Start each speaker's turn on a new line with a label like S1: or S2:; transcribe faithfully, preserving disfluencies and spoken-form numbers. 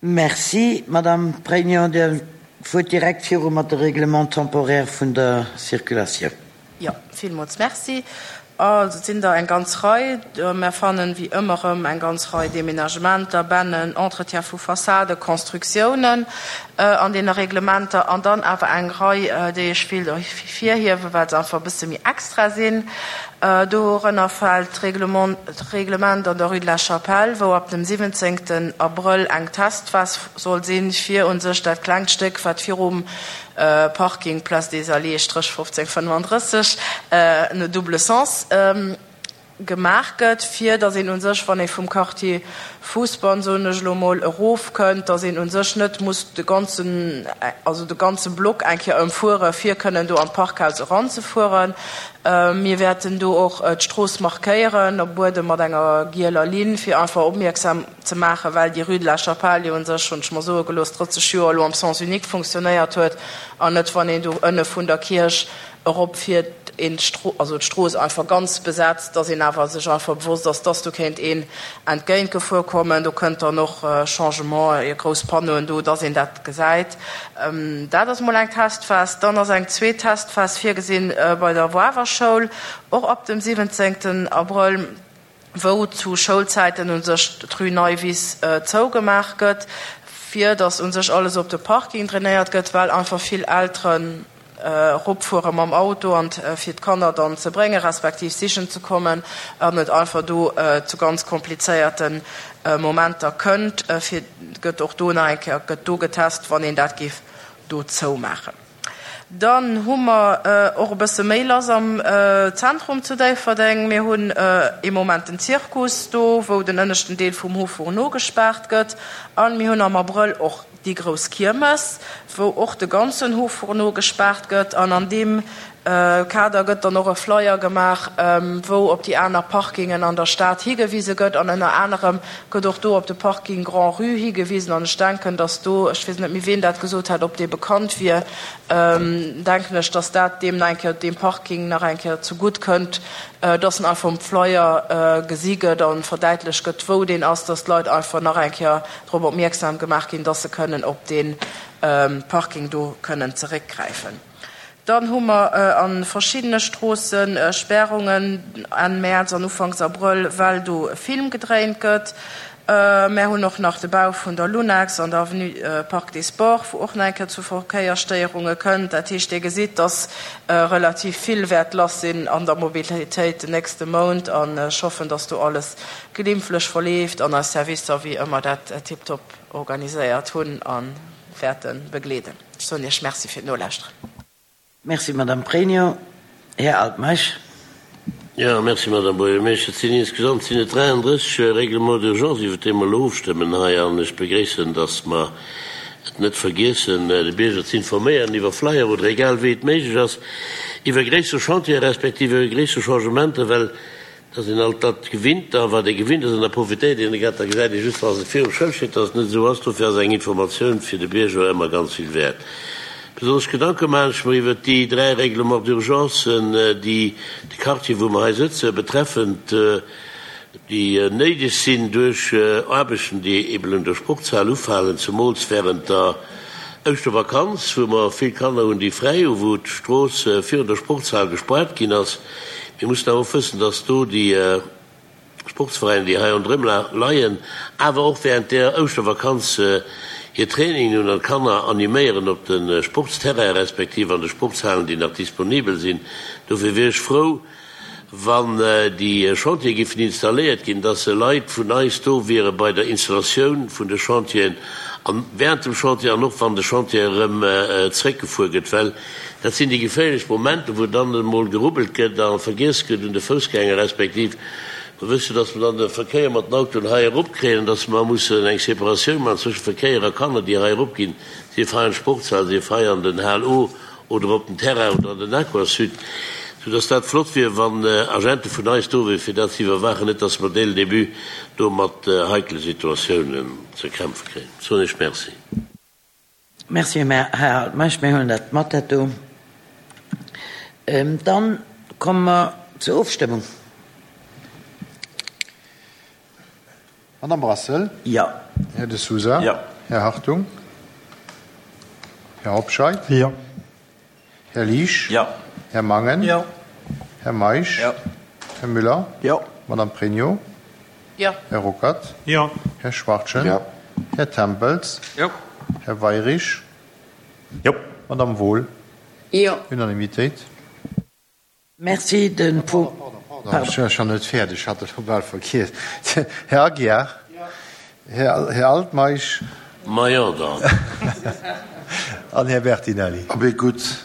S1: Merci, Madame Pregno. Dir fuert direkt viru mat de Règlement temporaire vun der Circulatioun.
S2: Jo, villmools merci. Also, et sinn der eng ganz Rei. Mer fannen, wéi ëmmer erëm, eng ganz Rei Deménagementer, Bennen, Entretien vu Fassaden, Constructiounen an deene Reglementer an dann awer eng Rei, déi ech wéilt ervirhiewen, well se einfach e bësse méi extra sinn. Dorënner fält d'Reglement an der Rue de la Chapelle, wou ab dem siwwenzéngten Abrëll eng Testphas soll sinn, fir u sech dat klengt Stéck, wat virum Parking Place des Alliés Stréch fofzéng fënnefandrësseg no double sens gemaach gëtt, fir datt een u sech, wann ee vum Quartier Fousbann, soen ech elo mol, erofkënnt, datt een u sech net muss de ganzen, also de ganze Block eng Kéier ëmfuere fir kënnen do an d'Parkhaus eranzefueren. Mir wäerten do och d'Strooss markéieren op Buedem mat enger gieler Linn, fir einfach opmierksam ze maachen, well déi Rue de la Chapelle jo u sech, hunn ech mer soe gelooss, drësseg Joer elo am Sens unique funktionéiert huet an net, wann een do ënne vun der Kierch eropfiert, een d'Stro, also d'Strooss einfach ganz besetzt, dass een awer sech einfach bewosst ass, dass do kéint een entgéintgefuer kommen. Do kënnt dann och Changement, grouss Panneauen do, dass een dat gesäit. Dat ass mol eng Testphas. Dann ass eng zweet Testphas virgesinn bei der Wawer Schoul, och ab dem siwwenzéngten Abrëll, wou zu Schoulzäiten u sech d'Rue Neiwiss zougemaach gëtt, fir dass u sech alles op de Parking drainéiert gëtt, well einfach vill Elteren eropfuere mam Auto an fir d'Kanner dann ze bréngen, respektiv sichen ze kommen, an et einfach do zu ganz komplizéierte Momenter kënnt. Fir gëtt och do nach eng Kéier gëtt do getest, wann een dat géif do zoumaachen. Dann hu mer och e bësse méi lass am Zentrum zu Déifferdeng. Mir hunn ee Moment den Zirkus do, wou den ënneschten Deel vum Haut Fourneau gespaart gëtt. A mir hunn am Abrëll och déi grouss Kiermes, wou och de ganzen Haut Fourneau gespaart gëtt. An an deem Kader gëtt dann och e Flyer gemaach, wou op déi aner Parkingen an der Stad higewise gëtt. An ënner anerem gëtt och do op de Parking Grand-Rue higewisen. An ech denken, dass do, ech weess net méi, ween dat gesot hat, ob dee bekannt wier, denken ech, dass dat deem nach eng Kéier, deem Parking nach eng Kéier zegutt kënnt, dass en einfach um Flyer gesi gëtt a verdäitlecht gëtt, wou deen ass, dass d'Leit einfach nach eng Kéier drop opmierksam gemaach ginn, dass se kënnen op dee Parking do kënnen zeréckgräifen. Dann hu mer a verschiddene Stroosse Spärungen Enn Mäerz an Ufanks Abrëll, well do e Film gedréint gëtt. Mär hunn och nach de Bau vun der Lunex an der Avenue Parc des Sports, wou och nach eng Kéier zu Verkéiersstéierunge kënnt. Dat heescht, Dir gesitt, dass relativ vill wäert lass sinn an der Mobilitéit den nächste Mount. An ech hoffen, dass do alles glimpflech verleeft an eis Servicer wéi ëmmer dat tiptop organiséiert hunn a wäerte begleeden. Ech soen Iech Merci fir d'Nolauschteren.
S1: Merci, Madame Pregno. Här Altmeisch.
S3: Jo, merci, Madame Buergermeeschter. Et sinn insgesamt sinn et dräiandrësseg Règlements d'urgence, iwwert déi mer elo ofstëmmen hei. An ech begréissen, dass mer et net vergiessen, de Bierger ze informéieren iwwer Flyer oder egal wéi et méiglech ass, iwwer gréisser Chantiere respektiv iwwer gréisser Changementer, well Et ass een alt dat gewinnt, a wat ee gewinnt ass, an da profitéiert een grad, da gesäit ee just, wa se virum Schëld steet, datt et net esou ass. Dofir ass eng Informatioun fir de Bierger ëmmer ganz vill wäert. Besonnesch Gedanke maachen ech mer iwwert déi dräi Règlements d'urgencen, déi de Quartier, wou mer hei sëtzen, betreffend, déi néideg sinn duerch Aarbechten, déi eben un der Sportshal ufalen, zemools während der Ouschtervakanz, wou mer vill Kanner hunn, déi fräi hu, wou d'Strooss virun der Sportshal gespaart ginn ass. Mir mussen awer och wëssen, dass do déi Sportsveräiner, déi hei ronderëm leien, awer och während der Ouschtervakanz hir Trainingen hunn an d'Kanner animéieren op de Sportsterrainen respektiv an de Sportshalen, déi nach disponibel sinn. Dofir wier ech frou, wann déi Chantiere géifen installéiert ginn, dass Leit vun eis do wiere bei der Installatioun vun de Chantieren an während dem Chantier an och wann de Chantier erëm zréckgefuer gëtt, well dat sinn déi geféierlech Momenten, wou dann emol gerubbelt gëtt a vergiess gëtt un de Foussgänger, respektiv mer wëssen, dass mer dann de Verkéier mat den Autoen hei eropkréien an dass mer mussen eng Separatioun maachen zwësche Verkéier a Kanner, déi hei eropginn, sief hei an d'Sportshal, sief hei an den Hal O oder op den Terrain oder an den Aquasud, soudass dat flott wier, wann Agente vun eis do wieren, fir dat ze iwwerwaachen, net dass mer dès le début do mat heikele Situatiounen ze kämpfe kréien. Soen ech Merci.
S1: Merci, Här Altmeisch. Mir huelen dat mat, dat do. Dann komme mer zur Ofstëmmung.
S4: Madame Brassel.
S1: Jo.
S4: Här De Sousa.
S3: Jo.
S4: Här Hartung? Här Hobscheit?
S5: Jo.
S4: Här Liesch?
S6: Jo.
S4: Här Mangen?
S6: Jo.
S4: Här Meisch?
S6: Jo.
S4: Här Müller?
S6: Jo.
S4: Madame Pregno?
S2: Jo.
S4: Här Ruckert?
S5: Jo.
S4: Här Schwachtgen?
S6: Jo.
S4: Här Tempels?
S6: Jo.
S4: Här Weyrich?
S5: Jo.
S4: Madame Wohl?
S7: Jo.
S4: Unanimitéit.
S1: Merci. Den Punkt.
S4: Pardon, ech war schonn net fäerdeg, ech hat et scho bal vergiess. Här Aguiar? Här, Här Altmeisch?
S3: Ma jo dann.
S4: An Här Bertinelli.
S8: Abee gutt.